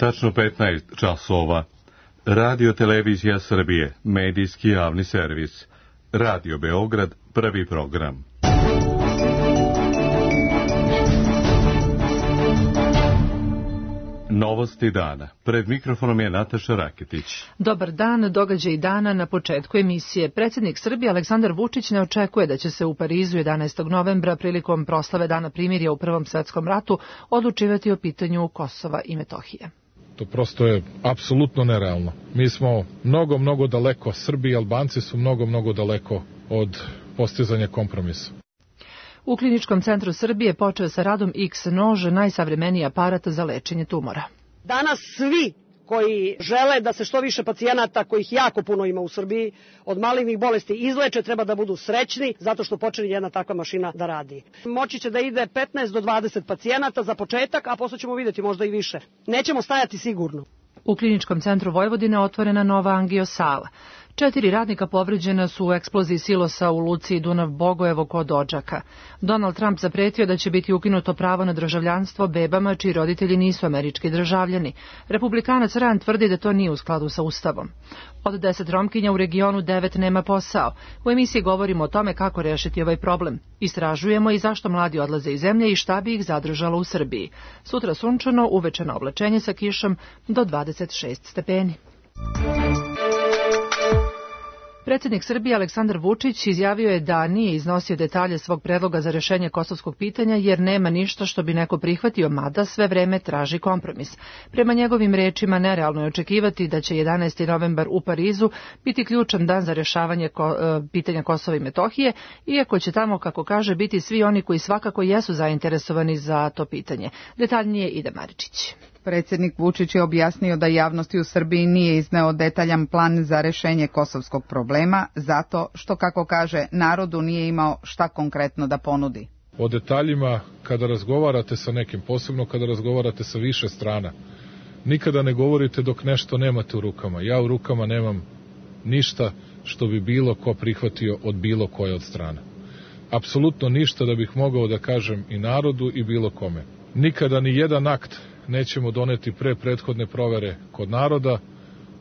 Tačno 15 časova. Radio Televizija Srbije, medijski javni servis. Radio Beograd, prvi program. Novosti dana. Pred mikrofonom je Nataša Raketić. Dobar dan, događaj dana na početku emisije. Predsjednik Srbije Aleksandar Vučić ne očekuje da će se u Parizu 11. novembra prilikom proslave Dana primirja u Prvom svetskom ratu odlučivati o pitanju Kosova i Metohije. To prosto je apsolutno nerealno. Mi smo mnogo daleko, Srbi i Albanci su mnogo daleko od postizanja kompromisa. U Kliničkom centru Srbije počeo sa radom X-nož, najsavremeniji aparat za lečenje tumora. Danas svi koji žele da se što više pacijenata, kojih jako puno ima u Srbiji, od malignih bolesti izleče, treba da budu srećni zato što počne jedna takva mašina da radi. Moći će da ide 15 do 20 pacijenata za početak, a posle ćemo vidjeti možda i više. Nećemo stajati sigurno. U Kliničkom centru Vojvodine otvorena nova angio-sala. 4 radnika povređena su u eksploziji silosa u Luci Dunav-Bogojevo kod Odžaka. Donald Trump zapretio da će biti ukinuto pravo na državljanstvo bebama čiji roditelji nisu američki državljani. Republikanac Rand tvrdi da to nije u skladu sa Ustavom. Od 10 Romkinja u regionu 9 nema posao. U emisiji govorimo o tome kako rešiti ovaj problem. Istražujemo i zašto mladi odlaze iz zemlje i šta bi ih zadržalo u Srbiji. Sutra sunčano, uveče na oblačenje sa kišom do 26 stepeni. Predsjednik Srbije Aleksandar Vučić izjavio je da nije iznosio detalje svog predloga za rešenje kosovskog pitanja jer nema ništa što bi neko prihvatio, mada sve vreme traži kompromis. Prema njegovim rečima, nerealno je očekivati da će 11. novembar u Parizu biti ključan dan za rešavanje pitanja Kosova i Metohije, iako će tamo, kako kaže, biti svi oni koji svakako jesu zainteresovani za to pitanje. Detaljnije Ida Maričić. Predsjednik Vučić je objasnio da javnosti u Srbiji nije izneo detaljan plan za rešenje kosovskog problema, zato što, kako kaže, narodu nije imao šta konkretno da ponudi. O detaljima, kada razgovarate sa nekim, posebno kada razgovarate sa više strana, nikada ne govorite dok nešto nemate u rukama. Ja u rukama nemam ništa što bi bilo ko prihvatio od bilo koje od strana. Apsolutno ništa da bih mogao da kažem i narodu i bilo kome. Nikada ni jedan akt nećemo doneti pre prethodne provere kod naroda,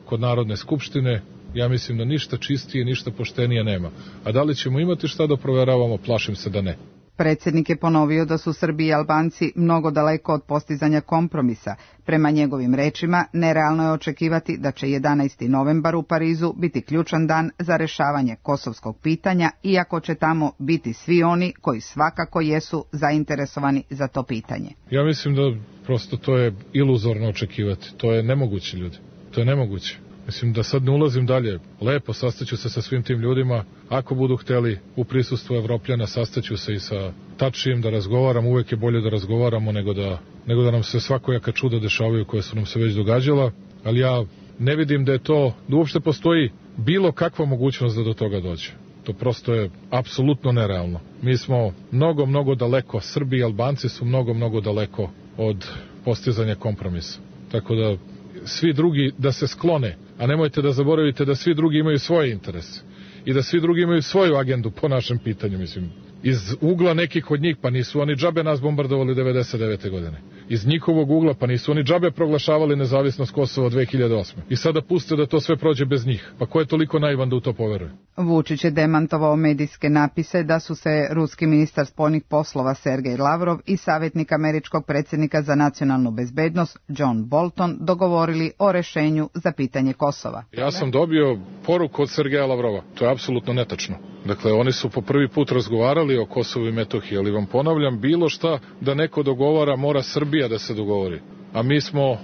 kod Narodne skupštine. Ja mislim da ništa čistije, ništa poštenije nema. A da li ćemo imati šta da proveravamo, plašim se da ne. Predsjednik je ponovio da su Srbi i Albanci mnogo daleko od postizanja kompromisa. Prema njegovim rečima, nerealno je očekivati da će 11. novembar u Parizu biti ključan dan za rešavanje kosovskog pitanja, iako će tamo biti svi oni koji svakako jesu zainteresovani za to pitanje. Ja mislim da prosto to je iluzorno očekivati. To je nemoguće, ljudi. To je nemoguće. Mislim da sad ne ulazim dalje. Lepo sastaću se sa svim tim ljudima. Ako budu hteli u prisustvu Evropljana, sastaću se i sa Tačijem da razgovaram. Uvek je bolje da razgovaramo nego da nam se svakojaka čuda dešavaju koje su nam se već događala. Ali ja ne vidim da uopšte postoji bilo kakva mogućnost da do toga dođe. To prosto je apsolutno nerealno. Mi smo mnogo daleko, Srbi i Albanci su mnogo daleko od postizanja kompromisa. Tako da svi drugi da se sklone, a nemojte da zaboravite da svi drugi imaju svoje interese i da svi drugi imaju svoju agendu po našem pitanju, mislim. Iz ugla nekih od njih, pa nisu oni džabe nas bombardovali 99. godine. Iz njihovog ugla, pa nisu oni džabe proglašavali nezavisnost Kosova 2008. I sada puste da to sve prođe bez njih. Pa ko je toliko naivan da u to poveruje? Vučić je demantovao medijske napise da su se ruski ministar spoljnih poslova Sergej Lavrov i savjetnik američkog predsjednika za nacionalnu bezbednost John Bolton dogovorili o rešenju za pitanje Kosova. Ja sam dobio poruku od Sergeja Lavrova. To je apsolutno netačno. Dakle, oni su po prvi put razgovarali o Kosovu i Metohiji, ali vam ponavljam, bilo šta da neko dogovara, mora Srbija da se dogovori. A mi smo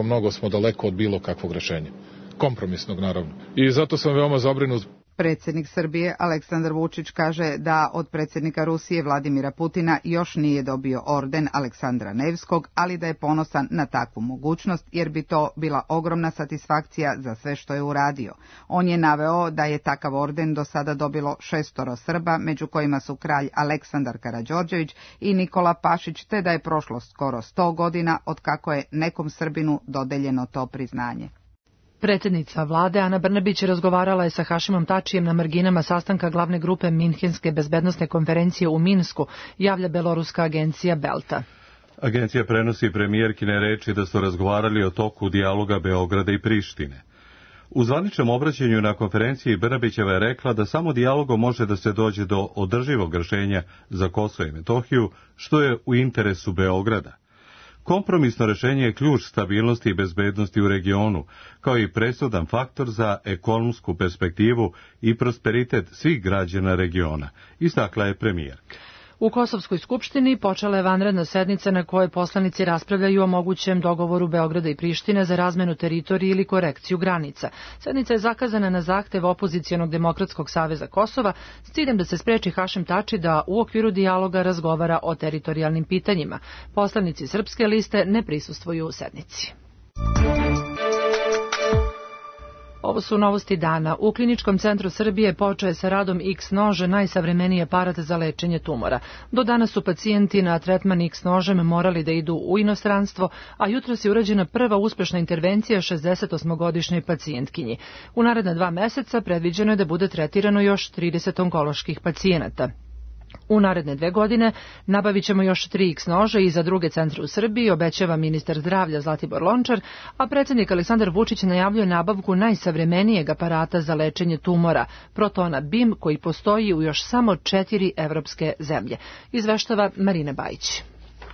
mnogo smo daleko od bilo kakvog rešenja. Kompromisnog, naravno. I zato sam veoma zabrinut. Predsjednik Srbije Aleksandar Vučić kaže da od predsjednika Rusije Vladimira Putina još nije dobio orden Aleksandra Nevskog, ali da je ponosan na takvu mogućnost jer bi to bila ogromna satisfakcija za sve što je uradio. On je naveo da je takav orden do sada dobilo 6 Srba, među kojima su kralj Aleksandar Karađorđević i Nikola Pašić, te da je prošlo skoro 100 godina od kako je nekom Srbinu dodeljeno to priznanje. Predsjednica vlade Ana Brnabić razgovarala je sa Hašimom Tačijem na marginama sastanka glavne grupe Minhenske bezbednosne konferencije u Minsku, javlja beloruska agencija Belta. Agencija prenosi premijerkine reči da su razgovarali o toku dijaloga Beograda i Prištine. U zvaničnom obraćanju na konferenciji Brnabićeva je rekla da samo dijalogom može da se dođe do održivog rešenja za Kosovo i Metohiju, što je u interesu Beograda. Kompromisno rešenje je ključ stabilnosti i bezbednosti u regionu, kao i presudan faktor za ekonomsku perspektivu i prosperitet svih građana regiona, istakla je premijerka. U Kosovskoj skupštini počela je vanredna sednica na kojoj poslanici raspravljaju o mogućem dogovoru Beograda i Prištine za razmenu teritorije ili korekciju granica. Sednica je zakazana na zahtev opozicionog Demokratskog saveza Kosova s ciljem da se spreči Hašim Tači da u okviru dijaloga razgovara o teritorijalnim pitanjima. Poslanici Srpske liste ne prisustvuju u sednici. Ovo su novosti dana. U Kliničkom centru Srbije počeo je sa radom X-nože, najsavremeniji aparat za lečenje tumora. Do danas su pacijenti na tretman X-nožem morali da idu u inostranstvo, a jutros je urađena prva uspešna intervencija 68-godišnjoj pacijentkinji. U naredna 2 meseca predviđeno je da bude tretirano još 30 onkoloških pacijenata. U naredne 2 godine nabavit ćemo još 3 X-nože i za druge centre u Srbiji, obećava ministar zdravlja Zlatibor Lončar, a predsjednik Aleksandar Vučić najavljuje nabavku najsavremenijeg aparata za lečenje tumora, Protona BIM, koji postoji u još samo 4 evropske zemlje. Izveštava Marina Bajić.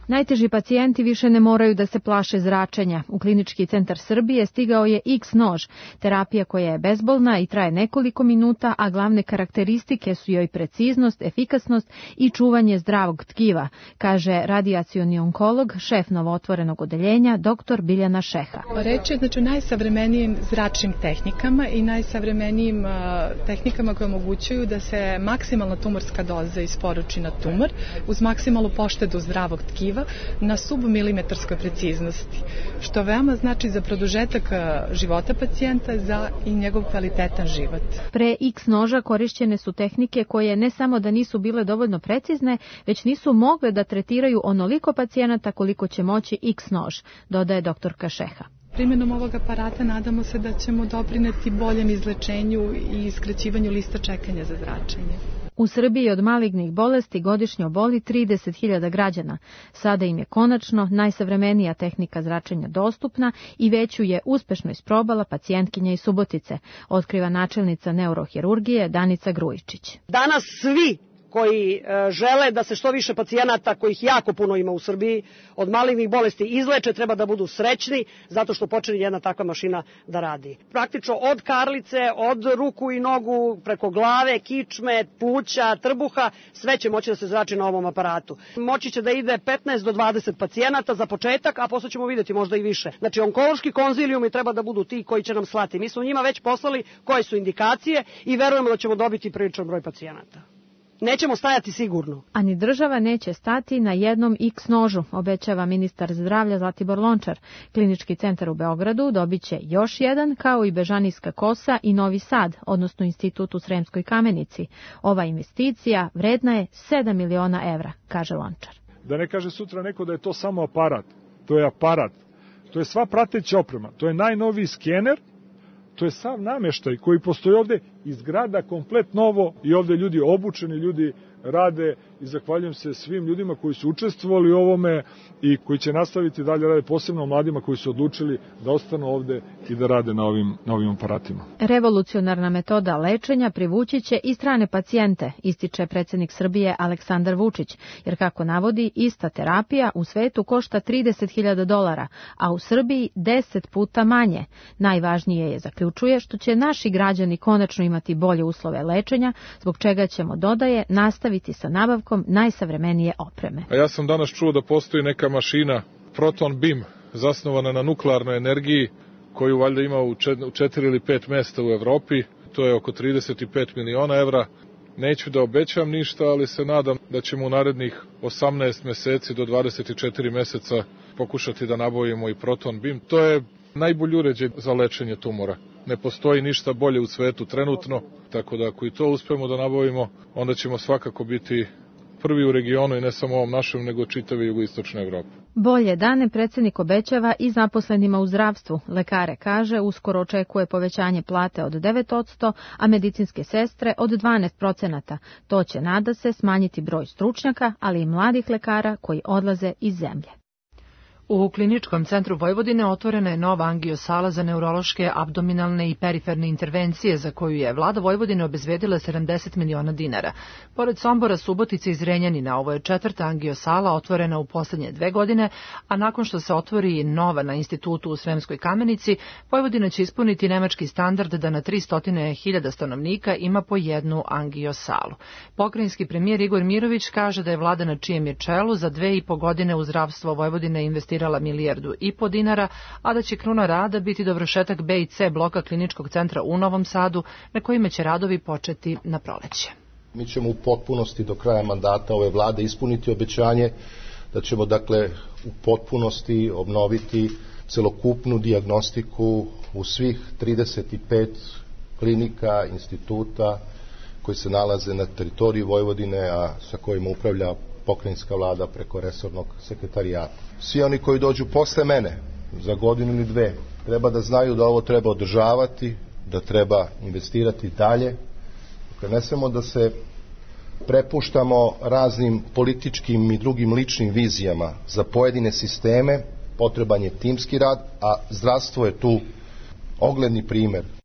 Najteži pacijenti više ne moraju da se plaše zračenja. U Klinički centar Srbije stigao je X-nož, terapija koja je bezbolna i traje nekoliko minuta, a glavne karakteristike su joj preciznost, efikasnost i čuvanje zdravog tkiva, kaže radijacioni onkolog, šef novootvorenog odeljenja, dr. Biljana Šeha. Reč je o najsavremenijim zračnim tehnikama i najsavremenijim tehnikama koje omogućuju da se maksimalna tumorska doza isporuči na tumor uz maksimalnu poštedu zdravog tkiva na submilimetarskoj preciznosti, što veoma znači za produžetak života pacijenta za i njegov kvalitetan život. Pre X-noža korišćene su tehnike koje ne samo da nisu bile dovoljno precizne, već nisu mogle da tretiraju onoliko pacijenata koliko će moći X-nož, dodaje doktorka Šeha. Primjenom ovog aparata nadamo se da ćemo doprineti boljem izlečenju i skraćivanju lista čekanja za zračenje. U Srbiji od malignih bolesti godišnje oboli 30.000 građana. Sada im je konačno najsavremenija tehnika zračenja dostupna i već ju je uspešno isprobala pacijentkinja iz Subotice, otkriva načelnica neurohirurgije Danica Grujičić. Danas svi koji žele da se što više pacijenata, kojih jako puno ima u Srbiji, od malignih bolesti izleče, treba da budu srećni zato što počne jedna takva mašina da radi. Praktično od karlice, od ruku i nogu, preko glave, kičme, pluća, trbuha, sve će moći da se zrači na ovom aparatu. Moći će da ide 15 do 20 pacijenata za početak, a posle ćemo vidjeti možda i više. Znači, onkološki konzilijumi treba da budu ti koji će nam slati. Mi smo njima već poslali koje su indikacije i verujemo da ćemo dobiti priličan broj pacijenata. Nećemo stajati sigurno. A ni država neće stati na jednom X-nožu, obećava ministar zdravlja Zlatibor Lončar. Klinički centar u Beogradu dobit će još jedan, kao i Bežanijska Kosa i Novi Sad, odnosno institut u Sremskoj Kamenici. Ova investicija vredna je 7 miliona evra, kaže Lončar. Da ne kaže sutra neko da je to samo aparat. To je aparat. To je sva prateća oprema. To je najnoviji skener. To je sav nameštaj koji postoji ovde, izgrada komplet novo i ovde ljudi obučeni, ljudi rade i zahvaljujem se svim ljudima koji su učestvovali u ovome i koji će nastaviti dalje rade, posebno mladima koji su odlučili da ostanu ovde i da rade na ovim aparatima. Revolucionarna metoda lečenja privući će i strane pacijente, ističe predsjednik Srbije Aleksandar Vučić, jer kako navodi, ista terapija u svetu košta $30.000, a u Srbiji 10 puta manje. Najvažnije je, zaključuje, što će naši građani konačno imati bolje uslove lečenja, zbog čega ćemo, dodaje, nastaviti sa nabavkom najsavremenije opreme. A ja sam danas čuo da postoji neka mašina Proton BIM, zasnovana na nuklearnoj energiji, koju valjda ima u 4 ili 5 mesta u Evropi. To je oko 35 miliona evra. Neću da obećam ništa, ali se nadam da ćemo u narednih 18 meseci do 24 meseca pokušati da nabavimo i Proton BIM. To je najbolji uređaj za lečenje tumora. Ne postoji ništa bolje u svetu trenutno, tako da ako i to uspemo da nabavimo, onda ćemo svakako biti prvi u regionu i ne samo ovom našem, nego čitave jugoistočne Evrope. Bolje dane predsjednik obećava i zaposlenima u zdravstvu. Lekare, kaže, uskoro očekuje povećanje plate od 9%, a medicinske sestre od 12%. To će, nada se, smanjiti broj stručnjaka, ali i mladih lekara koji odlaze iz zemlje. U Kliničkom centru Vojvodine otvorena je nova angiosala za neurološke, abdominalne i periferne intervencije za koju je vlada Vojvodine obezbedila 70 miliona dinara. Pored Sombora, Subotice i Zrenjanina, ovo je četvrta angiosala otvorena u poslednje 2 godine, a nakon što se otvori nova na institutu u Sremskoj Kamenici, Vojvodina će ispuniti nemački standard da na 300.000 stanovnika ima po jednu angiosalu. Pokrajinski premijer Igor Mirović kaže da je vlada na čijem je čelu za 2,5 godine u zdravstvo Vojvodine investirala 1,5 milijardu dinara, a da će kruna rada biti dovršetak B i C bloka Kliničkog centra u Novom Sadu, na kojima će radovi početi na proleće. Mi ćemo u potpunosti do kraja mandata ove vlade ispuniti obećanje da ćemo dakle u potpunosti obnoviti celokupnu dijagnostiku u svih 35 klinika, instituta koji se nalaze na teritoriji Vojvodine, a sa kojima upravlja pokrajinska vlada preko resornog sekretarijata. Svi oni koji dođu posle mene, za godinu ili 2, treba da znaju da ovo treba održavati, da treba investirati dalje. Dakle, ne samo da se prepuštamo raznim političkim i drugim ličnim vizijama za pojedine sisteme, potreban je timski rad, a zdravstvo je tu ogledni primer.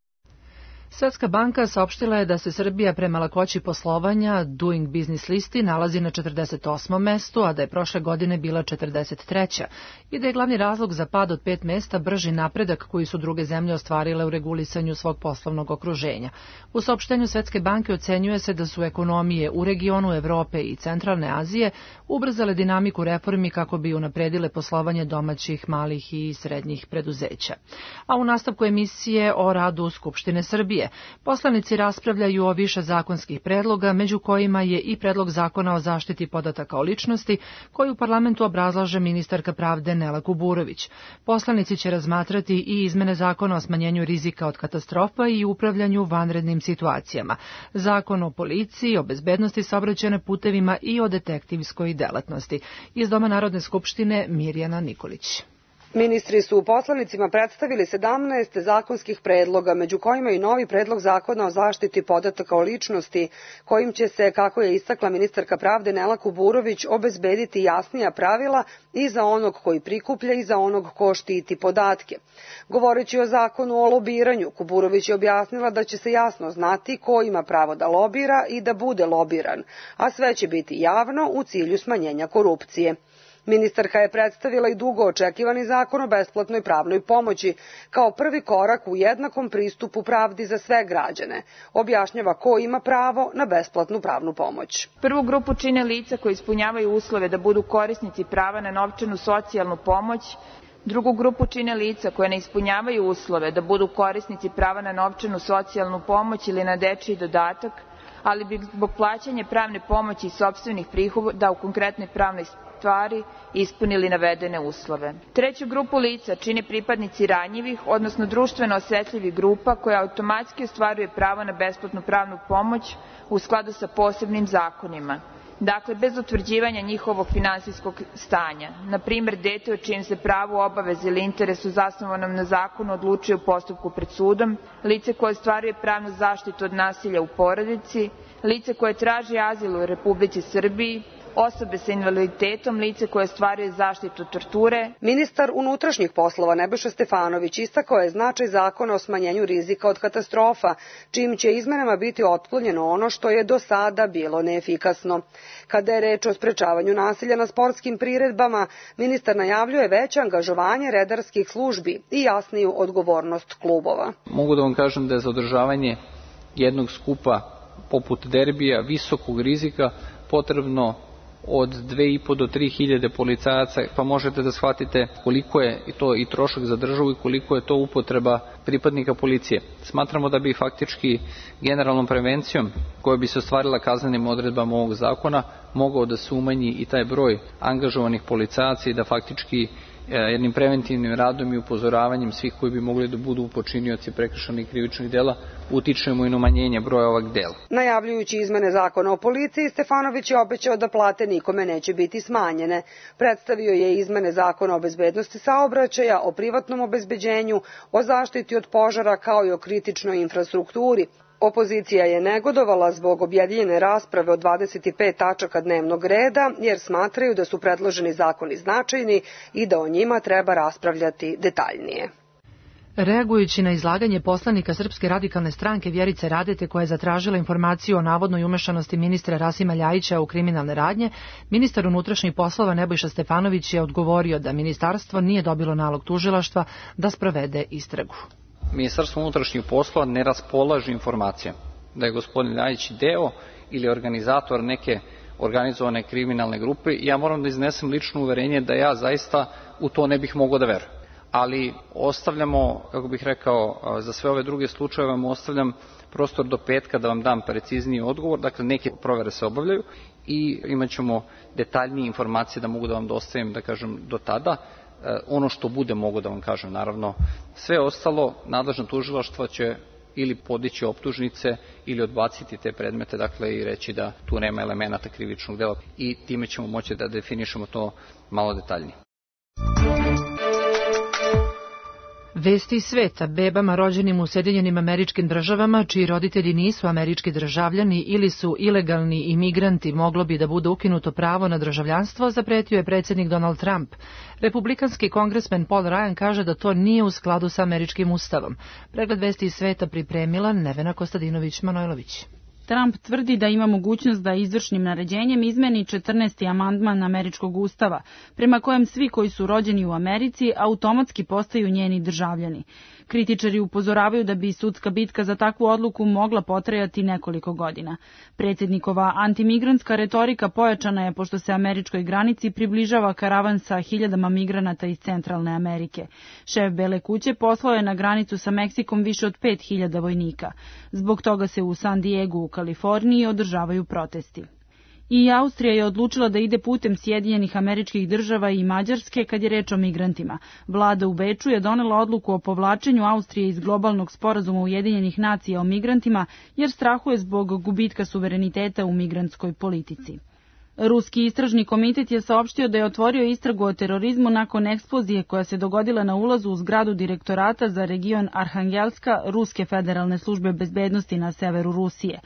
Svetska banka saopštila je da se Srbija prema lakoći poslovanja Doing Business listi nalazi na 48. mestu, a da je prošle godine bila 43. i da je glavni razlog za pad od 5 mesta brži napredak koji su druge zemlje ostvarile u regulisanju svog poslovnog okruženja. U saopštenju Svetske banke ocenjuje se da su ekonomije u regionu Evrope i Centralne Azije ubrzale dinamiku reformi kako bi unapredile poslovanje domaćih, malih i srednjih preduzeća. A u nastavku emisije o radu Skupštine Srbije poslanici raspravljaju o više zakonskih predloga, među kojima je i predlog zakona o zaštiti podataka o ličnosti, koji u parlamentu obrazlaže ministarka pravde Nela Kuburović. Poslanici će razmatrati i izmene zakona o smanjenju rizika od katastrofa i upravljanju vanrednim situacijama, zakon o policiji, o bezbednosti saobraćaja na putevima i o detektivskoj delatnosti. Iz Doma Narodne skupštine Mirjana Nikolić. Ministri su poslanicima predstavili 17 zakonskih predloga, među kojima i novi predlog zakona o zaštiti podataka o ličnosti, kojim će se, kako je istakla ministarka pravde Nela Kuburović, obezbediti jasnija pravila i za onog koji prikuplja i za onog ko štiti podatke. Govoreći o zakonu o lobiranju, Kuburović je objasnila da će se jasno znati ko ima pravo da lobira i da bude lobiran, a sve će biti javno u cilju smanjenja korupcije. Ministarka je predstavila i dugo očekivani zakon o besplatnoj pravnoj pomoći kao prvi korak u jednakom pristupu pravdi za sve građane. Objašnjava ko ima pravo na besplatnu pravnu pomoć. Prvu grupu čine lica koji ispunjavaju uslove da budu korisnici prava na novčanu socijalnu pomoć. Drugu grupu čine lica koje ne ispunjavaju uslove da budu korisnici prava na novčanu socijalnu pomoć ili na dečiji dodatak, ali bi zbog plaćanja pravne pomoći i sopstvenih prihoda u konkretnoj pravnoj stvari ispunili navedene uslove. Treću grupu lica čine pripadnici ranjivih, odnosno društveno osetljivih grupa koja automatski ostvaruje pravo na besplatnu pravnu pomoć u skladu sa posebnim zakonima. Dakle, bez utvrđivanja njihovog finansijskog stanja. Na primjer, dete o čijem se pravu, obavezi ili interesu zasnovanom na zakonu odlučuje u postupku pred sudom, lice koje ostvaruje pravnu zaštitu od nasilja u porodici, lice koje traži azil u Republici Srbiji, osobe sa invaliditetom, lice koje ostvaruje zaštitu od torture. Ministar unutrašnjih poslova Nebojša Stefanović istakao je značaj zakona o smanjenju rizika od katastrofa, čijim će izmenama biti otklonjeno ono što je do sada bilo neefikasno. Kada je reč o sprečavanju nasilja na sportskim priredbama, ministar najavljuje veće angažovanje redarskih službi i jasniju odgovornost klubova. Mogu da vam kažem da je za održavanje jednog skupa poput derbija visokog rizika potrebno od 2.500 do 3.000 policajaca, pa možete da shvatite koliko je to i trošak za državu i koliko je to upotreba pripadnika policije. Smatramo da bi faktički generalnom prevencijom koja bi se ostvarila kaznenim odredbama ovog zakona mogao da se umanji i taj broj angažovanih policajaca i da faktički jednim preventivnim radom i upozoravanjem svih koji bi mogli da budu počinioci prekršajnih krivičnih dela utičemo i na umanjenje broja ovog dela. Najavljujući izmene zakona o policiji, Stefanović je obećao da plate nikome neće biti smanjene. Predstavio je izmene zakona o bezbednosti saobraćaja, o privatnom obezbeđenju, o zaštiti od požara kao i o kritičnoj infrastrukturi. Opozicija je negodovala zbog objedinjene rasprave od 25 tačaka dnevnog reda, jer smatraju da su predloženi zakoni značajni i da o njima treba raspravljati detaljnije. Reagujući na izlaganje poslanika Srpske radikalne stranke Vjerice Radete, koja je zatražila informaciju o navodnoj umešanosti ministra Rasima Ljajića u kriminalne radnje, ministar unutrašnjih poslova Nebojša Stefanović je odgovorio da ministarstvo nije dobilo nalog tužilaštva da sprovede istragu. Ministarstvo unutrašnjih poslova ne raspolaže informacijama da je gospodin Ljajić deo ili organizator neke organizovane kriminalne grupe. Ja moram da iznesem lično uverenje da ja zaista u to ne bih mogao da verujem. Ali ostavljamo, kako bih rekao, za sve ove druge slučajeve vam ostavljam prostor do petka da vam dam precizniji odgovor. Dakle, neke provere se obavljaju i imat ćemo detaljnije informacije da mogu da vam dostavim, da kažem, do tada. Ono što bude mogu da vam kažem, naravno. Sve ostalo, nadležna tužilaštva će ili podići optužnice ili odbaciti te predmete, dakle i reći da tu nema elemenata krivičnog dela i time ćemo moći da definišemo to malo detaljnije. Vesti iz sveta: bebama rođenim u Sjedinjenim Američkim Državama, čiji roditelji nisu američki državljani ili su ilegalni imigranti, moglo bi da bude ukinuto pravo na državljanstvo, zapretio je predsjednik Donald Trump. Republikanski kongresmen Paul Ryan kaže da to nije u skladu sa američkim ustavom. Pregled vesti iz sveta pripremila Nevena Kostadinović-Manojlović. Trump tvrdi da ima mogućnost da izvršnim naređenjem izmeni 14. amandman američkog ustava, prema kojem svi koji su rođeni u Americi automatski postaju njeni državljani. Kritičari upozoravaju da bi sudska bitka za takvu odluku mogla potrajati nekoliko godina. Predsjednikova antimigrantska retorika pojačana je pošto se američkoj granici približava karavan sa hiljadama migranata iz Centralne Amerike. Šef Bele kuće poslao je na granicu sa Meksikom više od 5000 vojnika. Zbog toga se u San Diegu u Kaliforniji održavaju protesti. I Austrija je odlučila da ide putem Sjedinjenih Američkih Država i Mađarske kad je reč o migrantima. Vlada u Beču je donela odluku o povlačenju Austrije iz globalnog sporazuma Ujedinjenih nacija o migrantima jer strahuje zbog gubitka suvereniteta u migrantskoj politici. Ruski istražni komitet je saopštio da je otvorio istragu o terorizmu nakon eksplozije koja se dogodila na ulazu u zgradu direktorata za region Arhangelska Ruske federalne službe bezbednosti na severu Rusije.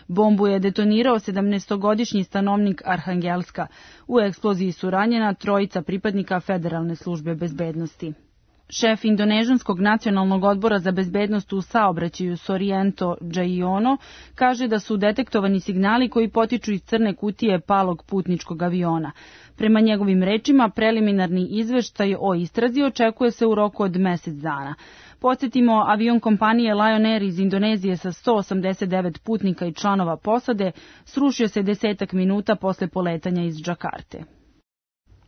Bombu je detonirao 17-godišnji stanovnik Arhangelska. U eksploziji su ranjena 3 pripadnika federalne službe bezbednosti. Šef Indonežanskog nacionalnog odbora za bezbednost u saobraćaju Soriento Džaiono kaže da su detektovani signali koji potiču iz crne kutije palog putničkog aviona. Prema njegovim rečima, preliminarni izveštaj o istrazi očekuje se u roku od mesec dana. Podsjetimo, avion kompanije Lion Air iz Indonezije sa 189 putnika i članova posade srušio se 10 minuta posle poletanja iz Džakarte.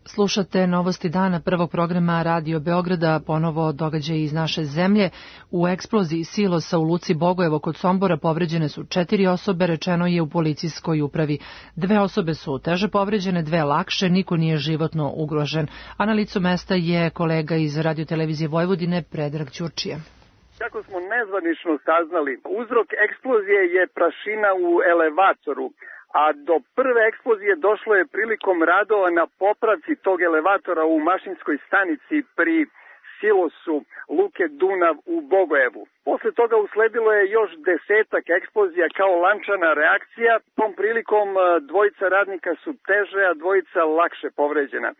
Slušate novosti dana prvog programa Radio Beograda, ponovo događaj iz naše zemlje. U eksploziji silosa u Luci Bogojevo kod Sombora povređene su 4 osobe, rečeno je u policijskoj upravi. 2 osobe su teže povređene, 2 lakše, niko nije životno ugrožen. A na licu mesta je kolega iz Radiotelevizije Vojvodine, Predrag Ćurčija. Kako smo nezvanično saznali, uzrok eksplozije je prašina u elevatoru, a do prve eksplozije došlo je prilikom radova na popravci tog elevatora u mašinskoj stanici pri silosu Luke Dunav u Bogojevu. Posle toga usledilo je još 10 eksplozija kao lančana reakcija. Tom prilikom 2 radnika su teže, a 2 lakše povređena.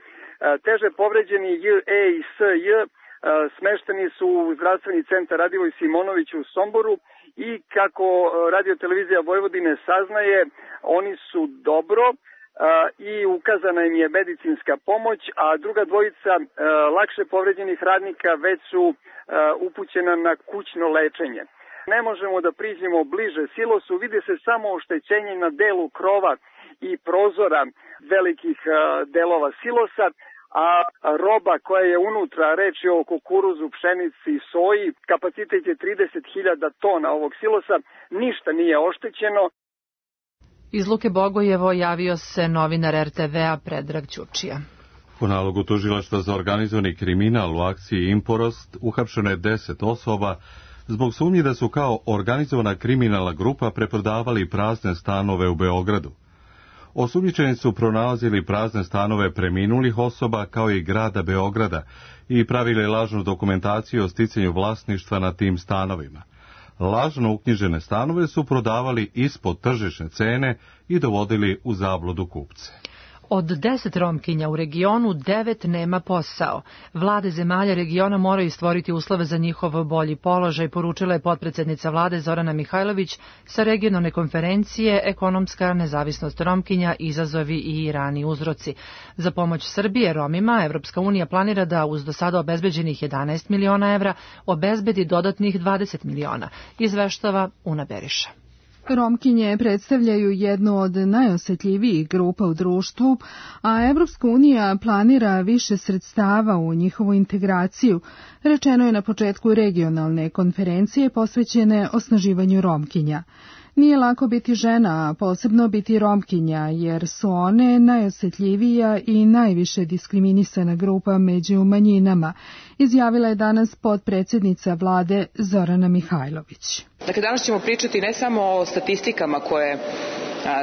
Teže povređeni J.E. i S.J. smešteni su u zdravstveni centar Radivoj Simonović u Somboru i kako Radiotelevizija Vojvodine saznaje, oni su dobro i ukazana im je medicinska pomoć, a druga 2 lakše povređenih radnika već su upućena na kućno lečenje. Ne možemo da priđemo bliže silosu, vidi se samo oštećenje na delu krova i prozora velikih delova silosa, a roba koja je unutra, reč je o kukuruzu, pšenici i soji, kapacitet je 30.000 tona ovog silosa, ništa nije oštećeno. Iz Luke Bogojevo javio se novinar RTV-a Predrag Ćurčija. Po nalogu tužilaštva za organizovani kriminal u akciji Imporost uhapšeno je 10 osoba zbog sumnji da su kao organizovana kriminalna grupa preprodavali prazne stanove u Beogradu. Osumnjičeni su pronalazili prazne stanove preminulih osoba kao i grada Beograda i pravili lažnu dokumentaciju o sticanju vlasništva na tim stanovima. lažno uknjižene stanove su prodavali ispod tržišne cene i dovodili u zabludu kupce. Od 10 Romkinja u regionu 9 nema posao. Vlade zemalja regiona moraju stvoriti uslove za njihov bolji položaj, poručila je potpredsednica vlade Zorana Mihajlović sa regionalne konferencije Ekonomska nezavisnost Romkinja, izazovi i rani uzroci. Za pomoć Srbije Romima Evropska unija planira da uz do sada obezbeđenih 11 miliona evra obezbedi dodatnih 20 miliona, izveštava Una Beriša. Romkinje predstavljaju jednu od najosetljivijih grupa u društvu, a Evropska unija planira više sredstava u njihovu integraciju, rečeno je na početku regionalne konferencije posvećene osnaživanju Romkinja. Nije lako biti žena, a posebno biti Romkinja, jer su one najosetljivija i najviše diskriminisana grupa među manjinama, izjavila je danas potpredsjednica vlade Zorana Mihajlović. Dakle, danas ćemo pričati ne samo o statistikama koje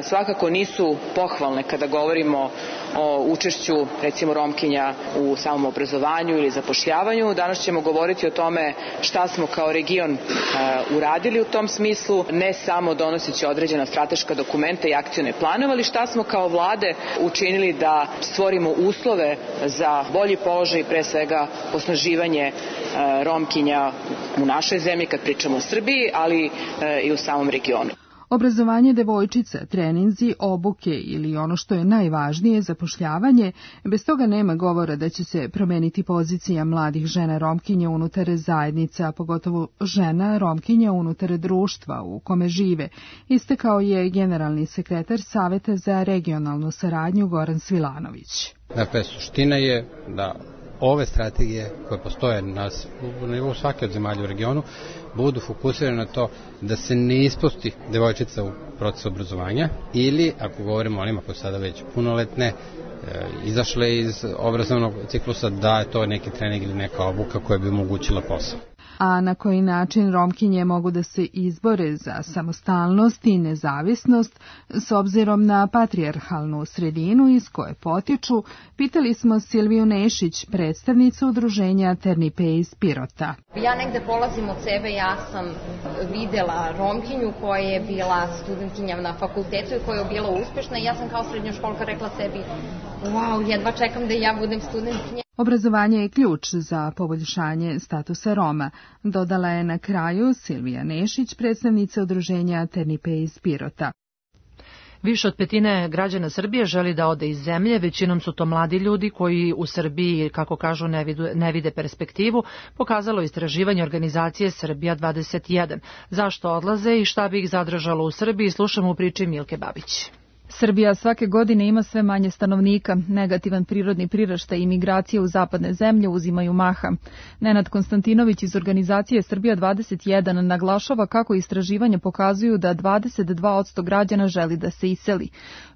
svakako nisu pohvalne kada govorimo o učešću, recimo, Romkinja u samom obrazovanju ili zapošljavanju. Danas ćemo govoriti o tome šta smo kao region uradili u tom smislu, ne samo donoseći određena strateška dokumenta i akcione planove, ali šta smo kao vlade učinili da stvorimo uslove za bolji položaj, pre svega osnaživanje Romkinja u našoj zemlji kad pričamo o Srbiji, ali i u samom regionu. Obrazovanje devojčica, treninzi, obuke ili ono što je najvažnije, zapošljavanje, bez toga nema govora da će se promeniti pozicija mladih žena Romkinja unutar zajednica, a pogotovo žena Romkinja unutar društva u kome žive, istakao je generalni sekretar Saveta za regionalnu saradnju Goran Svilanović. Dakle, suština je da ove strategije koje postoje na nivou svake od zemalja u regionu budu fokusirane na to da se ne ispusti devojčica u procesu obrazovanja ili, ako govorimo o onima koji sada već punoletne, izašle iz obrazovnog ciklusa, da je to neki trening ili neka obuka koja bi omogućila posao. A na koji način Romkinje mogu da se izbore za samostalnost i nezavisnost s obzirom na patrijarhalnu sredinu iz koje potiču, pitali smo Silviju Nešić, predstavnicu udruženja Ternipe iz Pirota. Ja negde polazim od sebe, ja sam videla Romkinju koja je bila studentkinja na fakultetu i koja je bila uspešna i ja sam kao srednjoškolka rekla sebi, wow, jedva čekam da ja budem studentkinja. Obrazovanje je ključ za poboljšanje statusa Roma, dodala je na kraju Silvija Nešić, predstavnica udruženja Ternipe iz Pirota. Više od petine građana Srbije želi da ode iz zemlje, većinom su to mladi ljudi koji u Srbiji, kako kažu, ne vide perspektivu, pokazalo istraživanje organizacije Srbija 21. Zašto odlaze i šta bi ih zadržalo u Srbiji, slušamo u priči Milke Babić. Srbija svake godine ima sve manje stanovnika, negativan prirodni priraštaj i migracije u zapadne zemlje uzimaju maha. Nenad Konstantinović iz organizacije Srbija 21 naglašava kako istraživanja pokazuju da 22% građana želi da se iseli.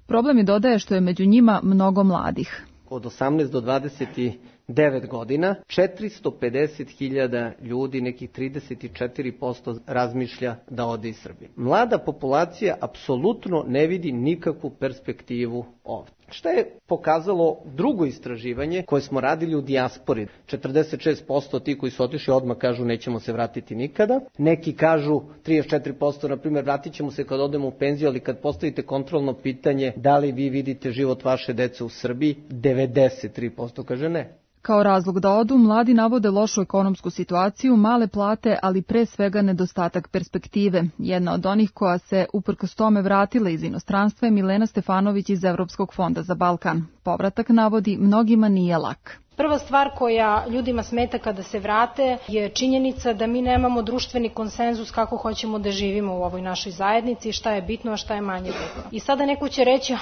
Problem je, dodaje, što je među njima mnogo mladih. Od 18 do 29 godina, 450.000 ljudi, nekih 34% razmišlja da ode iz Srbije. Mlada populacija apsolutno ne vidi nikakvu perspektivu ovdje. Šta je pokazalo drugo istraživanje koje smo radili u dijaspori? 46% ti koji su otišli odmah kažu nećemo se vratiti nikada. Neki kažu, 34%, na primjer, vratit ćemo se kad odemo u penziju, ali kad postavite kontrolno pitanje da li vi vidite život vaše dece u Srbiji, 93% kaže ne. Kao razlog da odu, mladi navode lošu ekonomsku situaciju, male plate, ali pre svega nedostatak perspektive. Jedna od onih koja se uprkos tome vratila iz inostranstva je Milena Stefanović iz Evropskog fonda za Balkan. Povratak, navodi, mnogima nije lak. Prva stvar koja ljudima smeta kada se vrate je činjenica da mi nemamo društveni konsenzus kako hoćemo da živimo u ovoj našoj zajednici, šta je bitno, a šta je manje bitno. I sada neko će reći,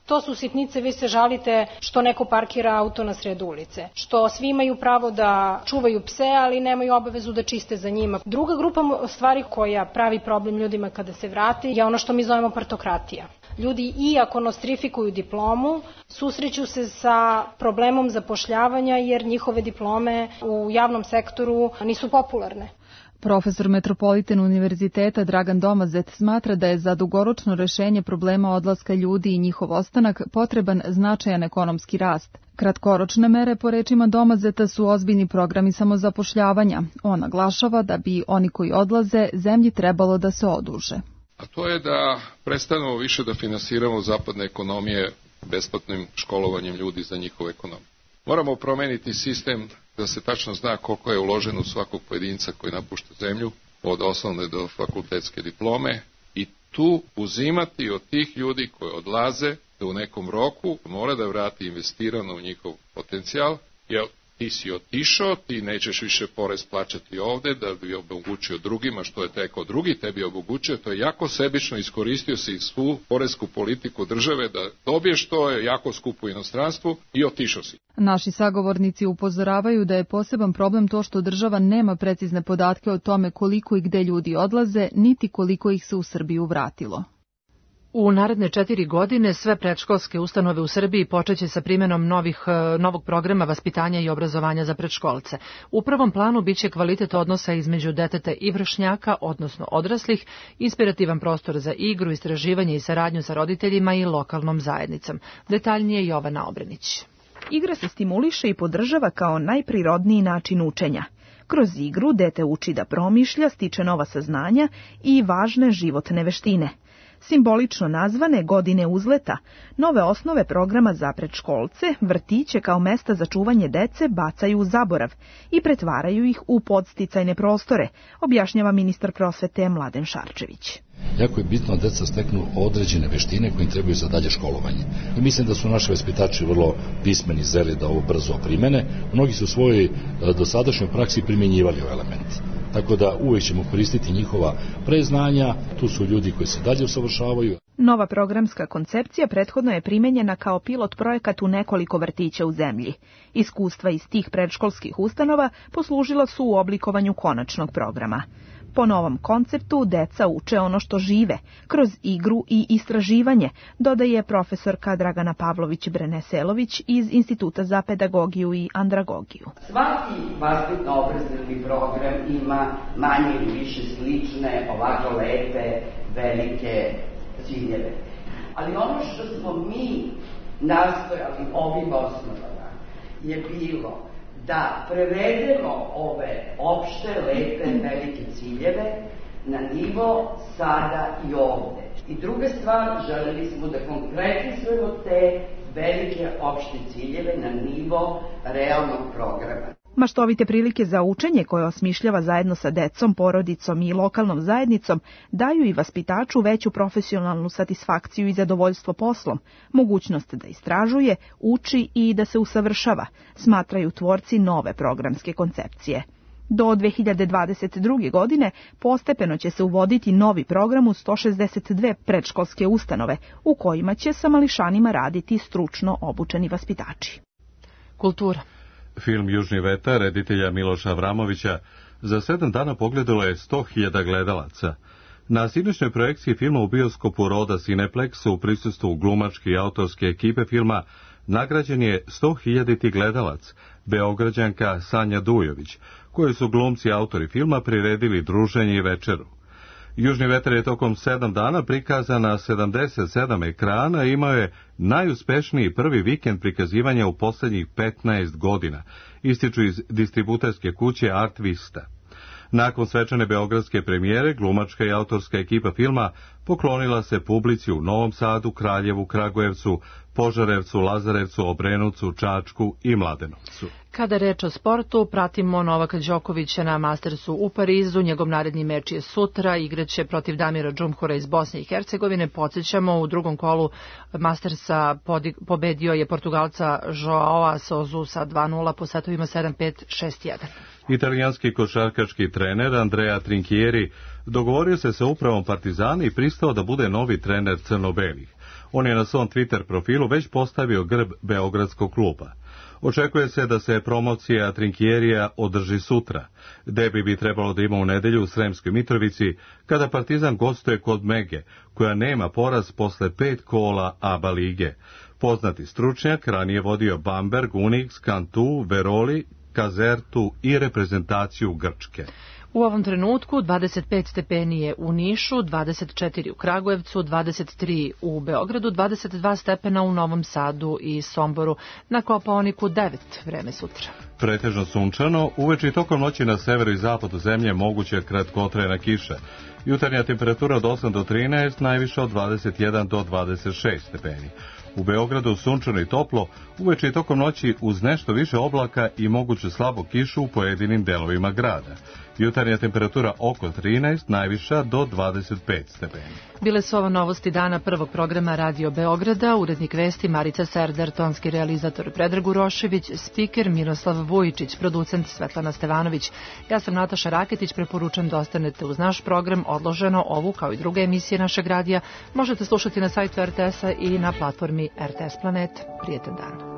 to su sitnice, vi se žalite što neko parkira auto na sred ulice, što svi imaju pravo da čuvaju pse, ali nemaju obavezu da čiste za njima. Druga grupa stvari koja pravi problem ljudima kada se vrate je ono što mi zovemo partokratija. Ljudi, iako nostrifikuju diplomu, susreću se sa problemom zapošljavanja jer njihove diplome u javnom sektoru nisu popularne. Profesor Metropolitan univerziteta Dragan Domazet smatra da je za dugoročno rešenje problema odlaska ljudi i njihov ostanak potreban značajan ekonomski rast. Kratkoročne mere, po rečima Domazeta, su ozbiljni programi samozapošljavanja. On naglašava da bi oni koji odlaze zemlji trebalo da se oduže. A to je da prestanemo više da finansiramo zapadne ekonomije besplatnim školovanjem ljudi za njihovu ekonomiju. Moramo promeniti sistem da se tačno zna koliko je uloženo u svakog pojedinca koji napušta zemlju, od osnovne do fakultetske diplome, i tu uzimati od tih ljudi koji odlaze da u nekom roku mora da vrati investirano u njihov potencijal, jer ti si otišao, ti nećeš više porez plaćati ovde da bi omogućio drugima što je teko drugi tebi omogućio, to je jako sebično, iskoristio si svu poresku politiku države da dobiješ to, je jako skupo u inostranstvu i otišao si. Naši sagovornici upozoravaju da je poseban problem to što država nema precizne podatke o tome koliko i gde ljudi odlaze, niti koliko ih se u Srbiju vratilo. U naredne 4 godine sve predškolske ustanove u Srbiji počeće sa primjenom novog programa vaspitanja i obrazovanja za predškolce. U prvom planu biće kvalitet odnosa između deteta i vršnjaka, odnosno odraslih, inspirativan prostor za igru, istraživanje i saradnju sa roditeljima i lokalnom zajednicom. Detaljnije Jovana Obrenić. Igra se stimuliše i podržava kao najprirodniji način učenja. Kroz igru dete uči da promišlja, stiče nova saznanja i važne životne veštine. Simbolično nazvane godine uzleta, nove osnove programa za predškolce, vrtiće kao mesta za čuvanje dece bacaju u zaborav i pretvaraju ih u podsticajne prostore, objašnjava ministar prosvete Mladen Šarčević. Jako je bitno da deca steknu određene veštine koje im trebaju za dalje školovanje. I mislim da su naši vaspitači vrlo pismeni, zreli da ovo brzo primene. Mnogi su u svojoj dosadašnjoj praksi primjenjivali ovaj element. Tako da uvijek ćemo koristiti njihova preznanja, tu su ljudi koji se dalje usavršavaju. Nova programska koncepcija prethodno je primenjena kao pilot projekat u nekoliko vrtića u zemlji. Iskustva iz tih predškolskih ustanova poslužila su u oblikovanju konačnog programa. Po novom konceptu deca uče ono što žive, kroz igru i istraživanje, dodaje profesorka Dragana Pavlović-Breneselović iz Instituta za pedagogiju i andragogiju. Svaki vaspitno-obrazovni program ima manje ili više slične, ovako lepe, velike ciljeve. Ali ono što smo mi nastojali ovim osnovama je bilo da prevedemo ove opšte, lepe, velike ciljeve na nivo sada i ovde. I druga stvar, želeli smo da konkretizujemo te velike opšte ciljeve na nivo realnog programa. Maštovite prilike za učenje koje osmišljava zajedno sa decom, porodicom i lokalnom zajednicom daju i vaspitaču veću profesionalnu satisfakciju i zadovoljstvo poslom, mogućnost da istražuje, uči i da se usavršava, smatraju tvorci nove programske koncepcije. Do 2022. godine postepeno će se uvoditi novi program u 162 predškolske ustanove, u kojima će sa mališanima raditi stručno obučeni vaspitači. Kultura. Film Južni vetar reditelja Miloša Avramovića za 7 dana pogledalo je 100.000 gledalaca. Na sinoćnoj projekciji filma u bioskopu Roda Cineplex u prisustvu glumačke i autorske ekipe filma nagrađen je 100.000 gledalac, Beograđanka Sanja Dujović, koju su glumci i autori filma priredili druženje i večeru. Južni vetar je tokom 7 dana prikazan na 77 ekrana i imao je najuspešniji prvi vikend prikazivanja u posljednjih 15 godina, ističu iz distributerske kuće Art Vista. Nakon svečane beogradske premijere, glumačka i autorska ekipa filma poklonila se publici u Novom Sadu, Kraljevu, Kragujevcu, Požarevcu, Lazarevcu, Obrenovcu, Čačku i Mladenovcu. Kada reč o sportu, pratimo Novaka Đokovića na Mastersu u Parizu. Njegov naredni meč je sutra, igraće protiv Damira Džumhura iz Bosne i Hercegovine. Podsjećamo, u drugom kolu Mastersa pobedio je Portugalca Joao Sousu sa 2:0 po setovima 7-5, 6-1. Italijanski košarkaški trener Andrea Trinchieri dogovorio se sa upravom Partizana i pristao da bude novi trener crno-belih. On je na svom Twitter profilu već postavio grb beogradskog kluba. Očekuje se da se promocija Trinchierija održi sutra. Derbi bi trebalo da ima u nedelju u Sremskoj Mitrovici, kada Partizan gostuje kod Mege, koja nema poraz posle 5 kola ABA lige. Poznati stručnjak ranije vodio Bamberg, Unix, Cantu, Veroli, Kazertu i reprezentaciju Grčke. U ovom trenutku 25 stepeni je u Nišu, 24 u Kragujevcu, 23 u Beogradu, 22 stepena u Novom Sadu i Somboru. Na Kopaoniku 9, vreme sutra. Pretežno sunčano, uveče i tokom noći na severu i zapadu zemlje moguće kratkotrajna kiša. Jutarnja temperatura od 8 do 13, najviša od 21 do 26 stepeni. U Beogradu sunčano i toplo, uveče i tokom noći uz nešto više oblaka i moguću slabu kišu u pojedinim delovima grada. Jutarnja temperatura oko 13, najviša do 25 stepeni. Bile su ovo novosti dana prvog programa Radio Beograda, urednik vesti Marica Serdar, tonski realizator Predrag Urošević, spiker Miroslav Vujičić, producent Svetlana Stevanović. Ja sam Nataša Raketić, preporučam da ostanete uz naš program. Odloženo ovu, kao i druge emisije našeg radija, možete slušati na sajtu RTS-a i na platformi RTS Planet. Prijetan dan.